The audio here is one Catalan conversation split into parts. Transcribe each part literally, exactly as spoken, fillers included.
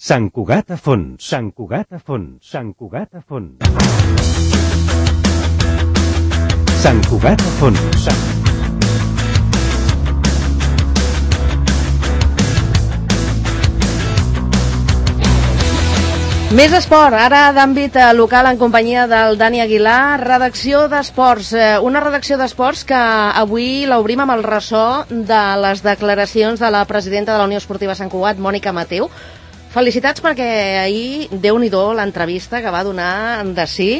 Sant Cugat a fons, Sant Cugat a fons, Sant Cugat a fons. Sant Cugat a fons, Sant... Més esport, ara d'àmbit local en companyia del Dani Aguilar, redacció d'esports. Una redacció d'esports que avui l'obrim amb el ressò de les declaracions de la presidenta de la Unió Esportiva Sant Cugat, Mònica Mateu. Felicitats perquè ahir, Déu-n'hi-do, l'entrevista que va donar de sí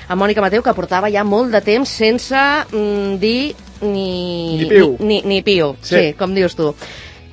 a Mònica Mateu, que portava ja molt de temps sense mm, dir ni, ni piu, ni, ni, ni piu. Sí. Sí, com dius tu.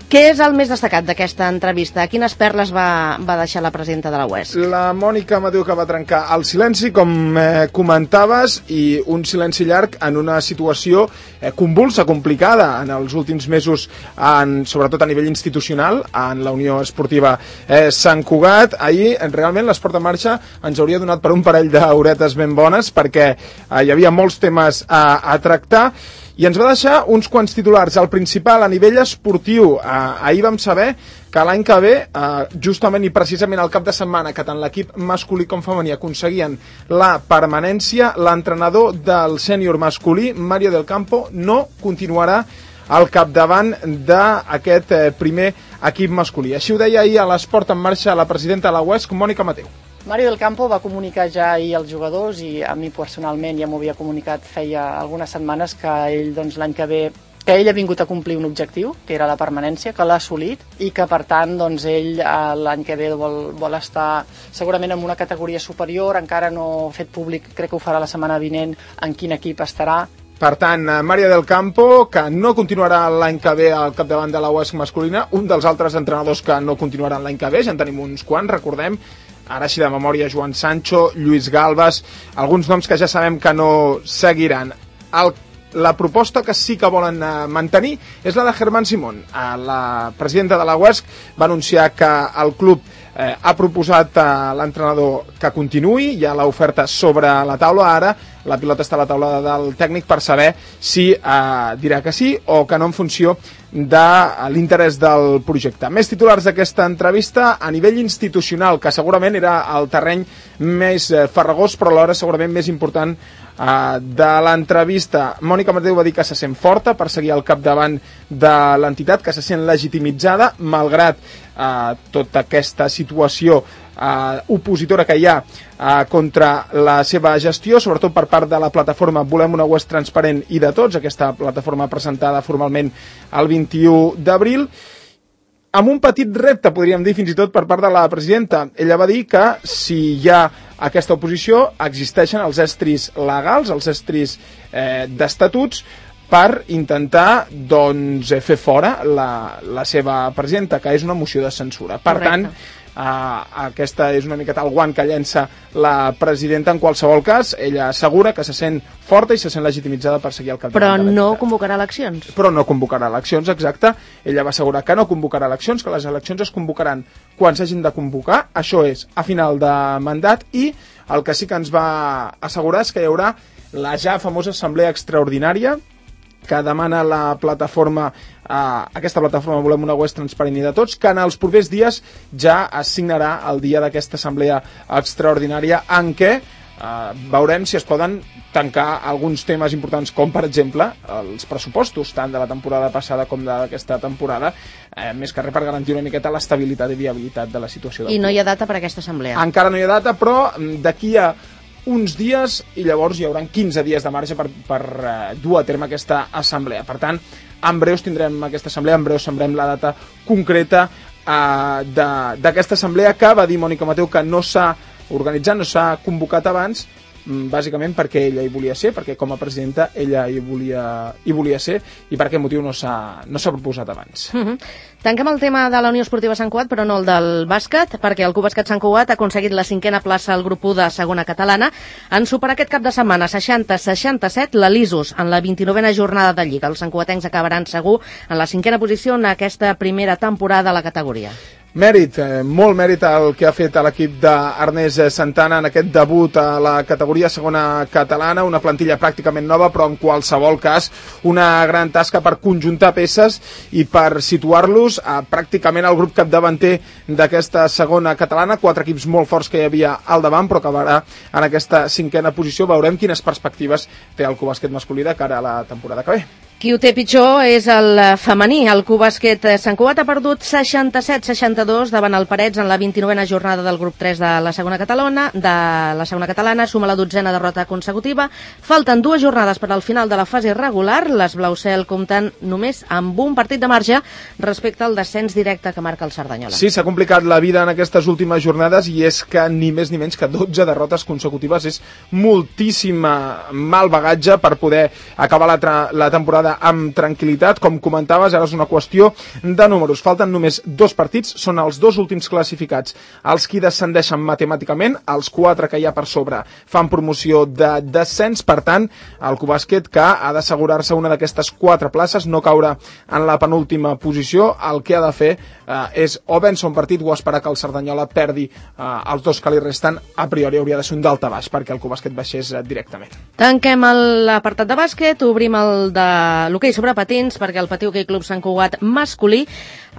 Què és el més destacat d'aquesta entrevista? Quines perles va, va deixar la presidenta de la U E S C? La Mònica Mateu, que va trencar el silenci, com eh, comentaves, i un silenci llarg en una situació eh, convulsa, complicada en els últims mesos, en, sobretot a nivell institucional, en la Unió Esportiva eh, Sant Cugat. Ahir, realment, l'Esport en Marxa ens hauria donat per un parell d'horetes ben bones, perquè eh, hi havia molts temes a, a tractar, i ens va deixar uns quants titulars. El principal, a nivell esportiu, eh, ahir vam saber que l'any que ve, eh, justament i precisament al cap de setmana, que tant l'equip masculí com femení aconseguien la permanència, l'entrenador del sènior masculí, Mario del Campo, no continuarà al capdavant d'aquest eh, primer equip masculí. Així ho deia ahir a l'Esport en Marxa la presidenta de la U E S C, Mònica Mateu. Mario del Campo va comunicar ja ahir als jugadors, i a mi personalment ja m'ho havia comunicat feia algunes setmanes, que ell doncs, l'any que ve que ell ha vingut a complir un objectiu, que era la permanència, que l'ha assolit, i que per tant doncs, ell l'any que ve vol, vol estar segurament en una categoria superior. Encara no ha fet públic, crec que ho farà la setmana vinent, en quin equip estarà. Per tant, Mario del Campo, que no continuarà l'any que ve al capdavant de la U E S C masculina, un dels altres entrenadors que no continuaran l'any que ve, ja en tenim uns quants, recordem, ara així de memòria, Joan Sancho, Lluís Galbas, alguns noms que ja sabem que no seguiran. El, la proposta que sí que volen eh, mantenir és la de Germán Simón. Eh, la presidenta de la U E S C va anunciar que el club eh, ha proposat a l'entrenador que continuï, hi ha l'oferta sobre la taula, ara la pilota està a la taula del tècnic per saber si eh, dirà que sí o que no en funció de l'interès del projecte. Més titulars d'aquesta entrevista a nivell institucional, que segurament era el terreny més eh, farragós, però alhora segurament més important eh, de l'entrevista. Mònica Mateu va dir que se sent forta per seguir al capdavant de l'entitat, que se sent legitimitzada, malgrat eh, tota aquesta situació Uh, opositora que hi ha uh, contra la seva gestió, sobretot per part de la plataforma Volem una U E S C transparent i de tots, aquesta plataforma presentada formalment el vint-i-u d'abril, amb un petit repte, podríem dir, fins i tot per part de la presidenta. Ella va dir que si hi ha aquesta oposició existeixen els estris legals, els estris eh, d'estatuts, per intentar doncs, fer fora la, la seva presidenta, que és una moció de censura. Per Correcte. tant, Uh, aquesta és una miqueta el guant que llença la presidenta. En qualsevol cas, ella assegura que se sent forta i se sent legitimitzada per seguir al capdavant. Però no convocarà eleccions. Però no convocarà eleccions, exacte. Ella va assegurar que no convocarà eleccions, que les eleccions es convocaran quan s'hagin de convocar, això és, a final de mandat, i el que sí que ens va assegurar és que hi haurà la ja famosa assemblea extraordinària que demana la plataforma, eh, aquesta plataforma Volem una U E S C transparent i de tots, que en els propers dies ja es signarà el dia d'aquesta assemblea extraordinària, en què eh, veurem si es poden tancar alguns temes importants, com per exemple els pressupostos, tant de la temporada passada com d'aquesta temporada, eh, més que res per garantir una miqueta l'estabilitat i viabilitat de la situació. I no hi ha data per a aquesta assemblea? Encara no hi ha data, però d'aquí a uns dies, i llavors hi haurà quinze dies de marge per, per uh, dur a terme aquesta assemblea. Per tant, en breus tindrem aquesta assemblea, en breus sabrem la data concreta uh, d'aquesta assemblea, que va dir Mònica Mateu que no s'ha organitzat, no s'ha convocat abans, bàsicament perquè ella hi volia ser, perquè com a presidenta ella hi volia, hi volia ser, i per aquest motiu no s'ha no s'ha proposat abans. Uh-huh. Tanquem el tema de la Unió Esportiva Sant Cugat, però no el del bàsquet, perquè el Club Bàsquet Sant Cugat ha aconseguit la cinquena plaça al grup u de segona catalana en superar aquest cap de setmana seixanta a seixanta-set la l'Isus en la vint-i-novena jornada de Lliga. Els santcugatencs acabaran segur en la cinquena posició en aquesta primera temporada a la categoria. Mèrit, eh, molt mèrit el que ha fet l'equip d'Ernest Santana en aquest debut a la categoria segona catalana, una plantilla pràcticament nova, però en qualsevol cas una gran tasca per conjuntar peces i per situar-los a pràcticament el grup capdavanter d'aquesta segona catalana, quatre equips molt forts que hi havia al davant, però acabarà en aquesta cinquena posició. Veurem quines perspectives té el Cubàsquet masculí de cara a la temporada que ve. Qui ho té pitjor és el femení. El Cubàsquet Sant Cugat ha perdut seixanta-set seixanta-dos davant el Parets en la vint-i-novena jornada del grup tres de la segona catalana, de la segona catalana, suma la dotzena derrota consecutiva. Falten dues jornades per al final de la fase regular. Les Blaucel compten només amb un partit de marge respecte al descens directe que marca el Cerdanyola. Sí, s'ha complicat la vida en aquestes últimes jornades i és que ni més ni menys que dotze derrotes consecutives és moltíssim mal bagatge per poder acabar la, la temporada amb tranquil·litat. Com comentaves, ara és una qüestió de números. Falten només dos partits, són els dos últims classificats els qui descendeixen matemàticament, els quatre que hi ha per sobre fan promoció de descens. Per tant, el Cubàsquet, que ha d'assegurar-se una d'aquestes quatre places, no caure en la penúltima posició, el que ha de fer eh, és o vèncer un partit o esperar que el Cerdanyola perdi eh, els dos que li resten. A priori hauria de ser un dalta baix perquè el Cubàsquet baixés eh, directament. Tanquem l'apartat de bàsquet, obrim el de l'hoquei sobre patins, perquè el Patí Hoquei Club Sant Cugat masculí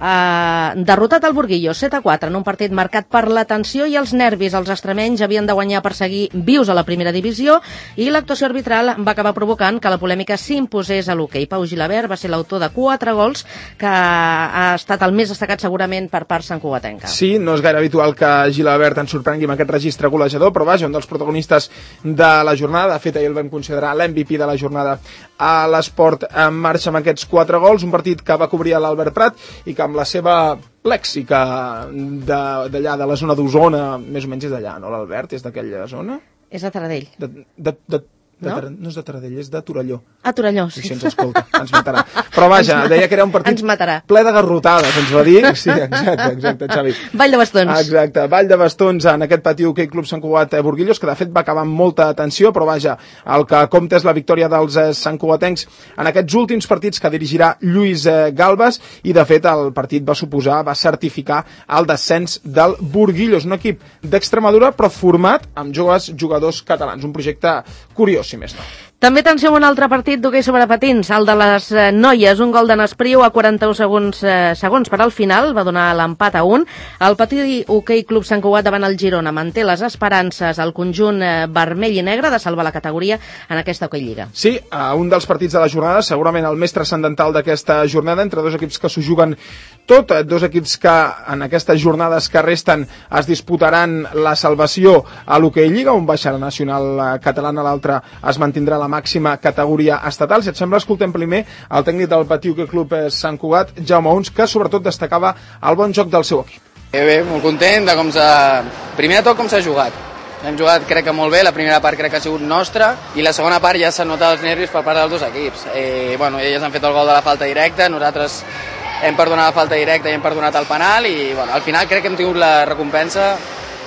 ha derrotat el Burguillos set a quatre en un partit marcat per la tensió i els nervis. Els extremenys havien de guanyar per seguir vius a la primera divisió i l'actuació arbitral va acabar provocant que la polèmica s'imposés a l'hoquei. Pau Gilabert va ser l'autor de quatre gols, que ha estat el més destacat segurament per part santcugatenca. Sí, no és gaire habitual que Gilabert ens sorprengui amb aquest registre golejador, però vaja, un dels protagonistes de la jornada. De fet, ahir el vam considerar l'M V P de la jornada a l'esport en marxa amb aquests quatre gols, un partit que va cobrir l'Albert Prat i que amb la seva lèxica d'allà, de la zona d'Osona, més o menys és d'allà, no, l'Albert? És d'aquella zona? És de Taradell. De, de, de, de no? no és de Taradell, és de Torelló. A Torelló, sí. I si ens escolta, ens matarà. Però vaja, deia que era un partit ple de garrotades, ens va dir. Sí, exacte, exacte, Xavi. Vall de bastons. Exacte, Vall de bastons en aquest Patí Hoquei Club Sant Cugat Burguillos, que de fet va acabar amb molta tensió, però vaja, el que compta és la victòria dels santcugatencs en aquests últims partits que dirigirà Lluís Galbas, i de fet el partit va suposar, va certificar el descens del Burguillos, un equip d'Extremadura però format amb joves jugadors catalans, un projecte curiós, si més no. També atenció a un altre partit d'hoquei sobre patins, el de les eh, noies, un gol de Nespriu a quaranta-un segons, eh, segons per al final, va donar l'empat a un. El Patí Hoquei Club Sant Cugat davant el Girona manté les esperances al conjunt eh, vermell i negre de salvar la categoria en aquesta Hoquei Lliga. Sí, a un dels partits de la jornada, segurament el més transcendental d'aquesta jornada, entre dos equips que s'ho juguen tot, dos equips que en aquestes jornades que resten es disputaran la salvació a l'Hoquei Lliga, un baixarà nacional catalana, l'altre es mantindrà la màxima categoria estatal. Si et sembla, escoltem primer el tècnic del Patí Hoquei Club Sant Cugat, Jaume Uns, que sobretot destacava el bon joc del seu equip. Bé, bé, molt content de com s'ha... Primer de tot, com s'ha jugat. Hem jugat, crec que molt bé, la primera part crec que ha sigut nostra, i la segona part ja s'han notat els nervis per part dels dos equips. Eh, bueno, ells han fet el gol de la falta directa, nosaltres hem perdonat la falta directa i hem perdonat el penal, i bueno, al final crec que hem tingut la recompensa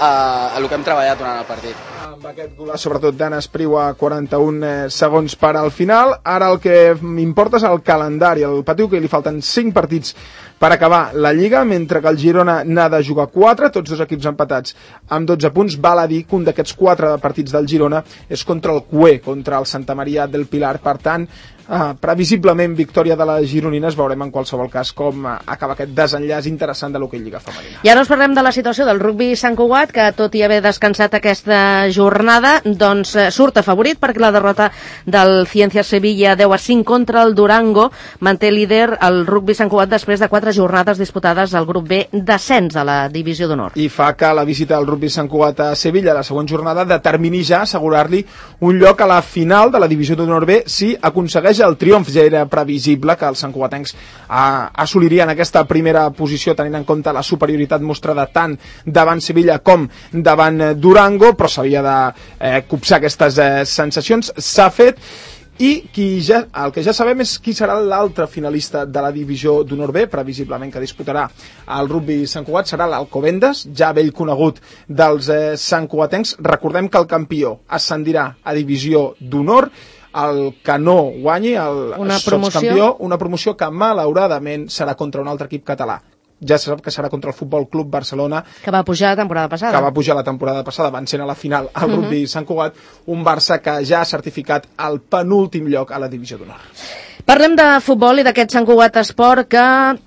a, a el que hem treballat durant el partit. Amb aquest golaç, sobretot d'Anna Espriu a quaranta-un segons per al final. Ara el que m'importa és el calendari. Al Patí Hoquei li falten cinc partits per acabar la Lliga, mentre que el Girona n'ha de jugar quatre, tots dos equips empatats amb dotze punts. Val a dir que un d'aquests quatre partits del Girona és contra el Cué, contra el Santa Maria del Pilar. Per tant, Uh, previsiblement victòria de les gironines. Veurem en qualsevol cas com uh, acaba aquest desenllaç interessant de l'Hoquei Lliga femenina. I ara us parlem de la situació del rugbi Sant Cugat, que tot i haver descansat aquesta jornada, doncs uh, surt afavorit perquè la derrota del Ciencias Sevilla deu a cinc contra el Durango manté líder el rugbi Sant Cugat després de quatre jornades disputades al grup B d'ascens de la divisió d'honor. I fa que la visita del rugbi Sant Cugat a Sevilla, la següent jornada, determini ja assegurar-li un lloc a la final de la divisió d'honor B si aconsegueix el triomf. Ja era previsible que els santcugatencs ah, assolirien aquesta primera posició, tenint en compte la superioritat mostrada tant davant Sevilla com davant Durango, però s'havia de eh, copsar aquestes eh, sensacions. S'ha fet, i qui ja, el que ja sabem és qui serà l'altre finalista de la divisió d'honor B, previsiblement que disputarà el rugbi Sant Cugat, serà l'Alcobendas, ja vell conegut dels eh, santcugatencs. Recordem que el campió ascendirà a divisió d'honor, el que no guanyi el una sotscampió, una promoció que malauradament serà contra un altre equip català. ja se sap que serà contra el Futbol Club Barcelona, que va pujar la temporada passada. Que va pujar la temporada passada, van ser a la final al uh-huh. rugby Sant Cugat, un Barça que ja ha certificat el penúltim lloc a la divisió d'honor. Parlem de futbol i d'aquest Sant Cugat Esport que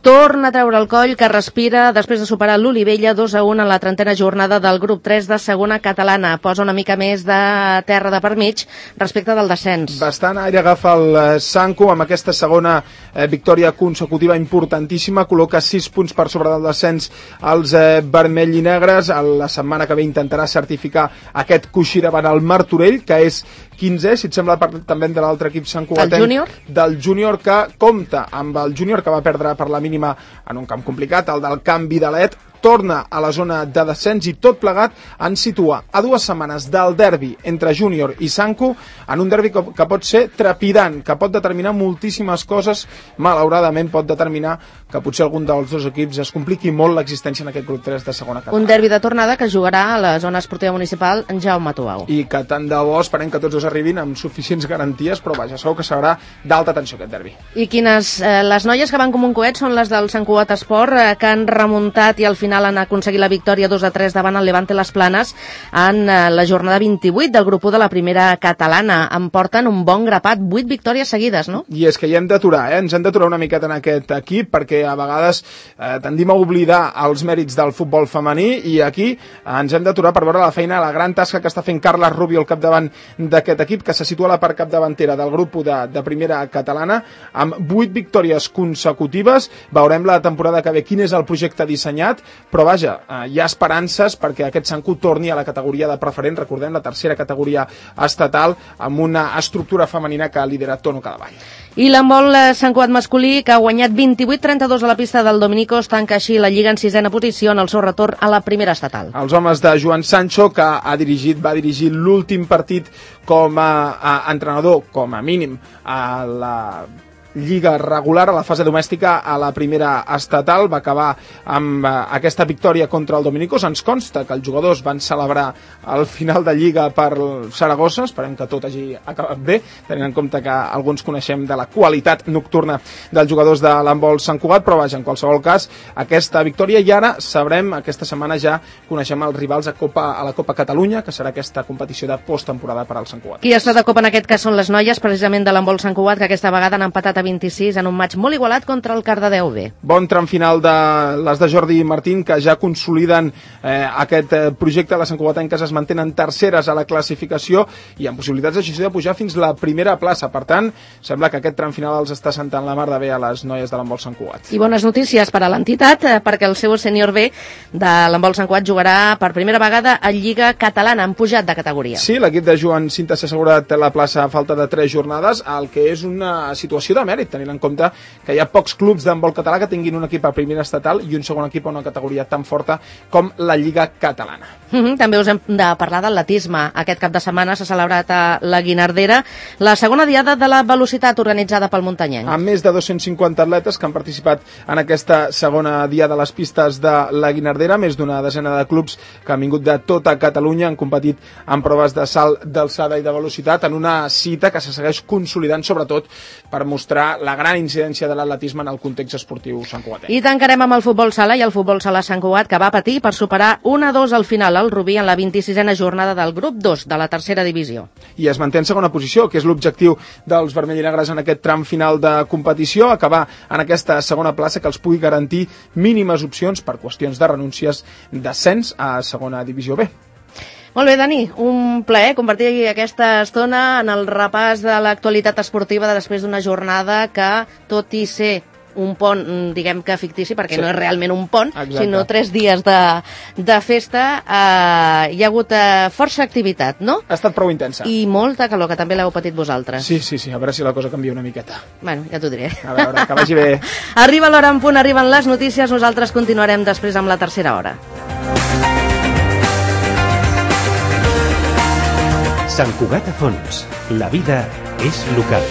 torna a treure el coll, que respira després de superar l'Olivella dos a un en la trentena jornada del grup tres de segona catalana. Posa una mica més de terra de per mig respecte del descens. Bastant aire agafa el Sanco amb aquesta segona eh, victòria consecutiva importantíssima, col·loca sis punts per sobre del descens als eh, vermell i negres. La setmana que ve intentarà certificar aquest coixí davant el Martorell, que és quinzè, si et sembla, també de l'altre equip Sant Cugatenc. El júnior? Del júnior, que compta amb el júnior, que va perdre per la mínima en un camp complicat, el del Camp Vidalet, torna a la zona de descens i tot plegat ens situa a dues setmanes del derbi entre júnior i Sanco, en un derbi que, que pot ser trepidant, que pot determinar moltíssimes coses. Malauradament pot determinar que potser algun dels dos equips es compliqui molt l'existència en aquest grup tres de segona catalana. Un derbi de tornada que jugarà a la zona esportiva municipal en Jaume Tuau. I que tant de bo esperem que tots dos arribin amb suficients garanties, però vaja, segur que serà d'alta tensió aquest derbi. I quines, eh, les noies que van com un coet són les del Sant Cugat Esport, eh, que han remuntat i al final han aconseguit la victòria dos a tres davant el Levante Les Planes en eh, la jornada vint-i-vuit del grup u de la primera catalana. En porten un bon grapat, vuit victòries seguides, no? I és que hi hem d'aturar, eh? ens hem d'aturar una miqueta en aquest equip, perquè a vegades eh, tendim a oblidar els mèrits del futbol femení, i aquí eh, ens hem d'aturar per veure la feina, la gran tasca que està fent Carles Rubio al capdavant d'aquest equip, que se situa a la part capdavantera del grup u de, de primera catalana, amb vuit victòries consecutives. Veurem la temporada que ve quin és el projecte dissenyat, però vaja, eh, hi ha esperances perquè aquest Sanco torni a la categoria de preferent, recordem, la tercera categoria estatal, amb una estructura femenina que lidera Tono Cadavall. I l'handbol Sant Cugat masculí, que ha guanyat vint-i-vuit a trenta-dos a la pista del Dominicos, tanca així la Lliga en sisena posició en el seu retorn a la primera estatal. Els homes de Joan Sancho, que ha dirigit, va dirigir l'últim partit com a, a entrenador, com a mínim, a la Lliga regular, a la fase domèstica, a la primera estatal, va acabar amb uh, aquesta victòria contra el Dominicos. Ens consta que els jugadors van celebrar el final de Lliga per Saragossa, esperem que tot hagi acabat bé, tenint en compte que alguns coneixem de la qualitat nocturna dels jugadors de l'handbol Sant Cugat, però vaja, en qualsevol cas, aquesta victòria, i ara sabrem, aquesta setmana ja coneixem els rivals a, Copa, a la Copa Catalunya, que serà aquesta competició de posttemporada per al Sant Cugat. Qui està de Copa en aquest cas són les noies, precisament de l'handbol Sant Cugat, que aquesta vegada han empatat a vint-i-sis en un maig molt igualat contra el Cardedeu B. Bon tram final de les de Jordi Martín, que ja consoliden eh, aquest eh, projecte. Les santcugatenques es mantenen terceres a la classificació i amb possibilitats així de pujar fins la primera plaça. Per tant, sembla que aquest tram final els està sentant la mar de bé a les noies de l'handbol Sant Cugat. I bones notícies per a l'entitat, eh, perquè el seu sènior B de l'handbol Sant Cugat jugarà per primera vegada a Lliga Catalana, han pujat de categoria. Sí, l'equip de Joan Cinta s'ha assegurat la plaça a falta de tres jornades, el que és una situació de mèrit, tenint en compte que hi ha pocs clubs d'handbol català que tinguin un equip a primera estatal i un segon equip a una categoria tan forta com la Lliga Catalana. Mm -hmm, també us hem de parlar d'atletisme. Aquest cap de setmana s'ha celebrat a la Guinardera la segona diada de la velocitat organitzada pel muntanyenc. Amb més de dos-cents cinquanta atletes que han participat en aquesta segona diada a les pistes de la Guinardera, més d'una desena de clubs que han vingut de tota Catalunya, han competit en proves de salt d'alçada i de velocitat, en una cita que se segueix consolidant, sobretot per mostrar la gran incidència de l'atletisme en el context esportiu santcugatenc. I tancarem amb el futbol sala i el futbol sala Sant Cugat, que va patir per superar un a dos al final al Rubí en la vint-i-sisena jornada del grup dos de la tercera divisió. I es manté en segona posició, que és l'objectiu dels vermell i negres en aquest tram final de competició, acabar en aquesta segona plaça que els pugui garantir mínimes opcions per qüestions de renúncies d'ascens a segona divisió B. Molt bé, Dani, un plaer compartir aquesta estona en el repàs de l'actualitat esportiva de després d'una jornada que, tot i ser un pont, diguem que fictici, perquè sí, no és realment un pont, exacte, sinó tres dies de, de festa, eh, hi ha hagut eh, força activitat, no? Ha estat prou intensa. I molta calor, que també l'heu patit vosaltres. Sí, sí, sí, a veure si la cosa canvia una miqueta. Bueno, ja t'ho diré. A veure, que vagi bé. Arriba l'hora en punt, arriben les notícies, nosaltres continuarem després amb la tercera hora. Sant Cugat a fons. La vida és local.